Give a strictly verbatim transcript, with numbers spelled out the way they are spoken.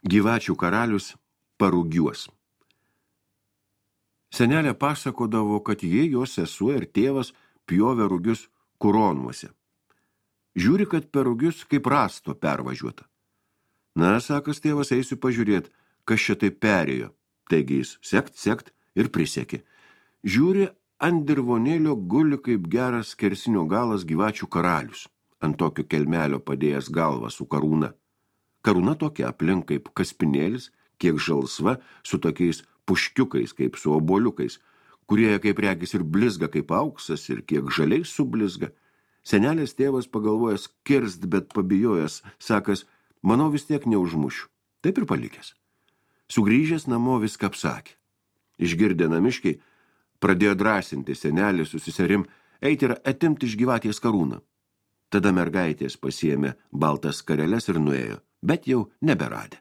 Gyvačių karalius Parugiuos. Senelė pasakodavo, kad jie, jos sesuo ir tėvas pjovė rugius kuronuose. Žiūri, kad per rugius kaip rasto pervažiuota. Na, sakas tėvas, eisiu pažiūrėt, kas čia taip perėjo. Taigi jis sekt, sekt ir prisekė. Žiūri, ant dirvonėlio guli kaip geras skersinio galas gyvačių karalius, ant tokio kelmelio padėjęs galvą su karūna. Karūna tokia aplink kaip kaspinėlis, kiek žalsva, su tokiais puškiukais kaip su oboliukais, kurie kaip regis ir blizga kaip auksas ir kiek žaliai sublizga. Senelės tėvas pagalvojęs kirst, bet pabijojęs, sakas, manau vis tiek neužmušiu. Taip ir palikęs. Sugrįžęs namo viską apsakė. Išgirdę namiškiai, pradėjo drąsinti senelį su seserim, eiti ir atimti iš gyvatės karūną. Tada mergaitės pasiėmė baltas skareles ir nuėjo, bet jau neberadę.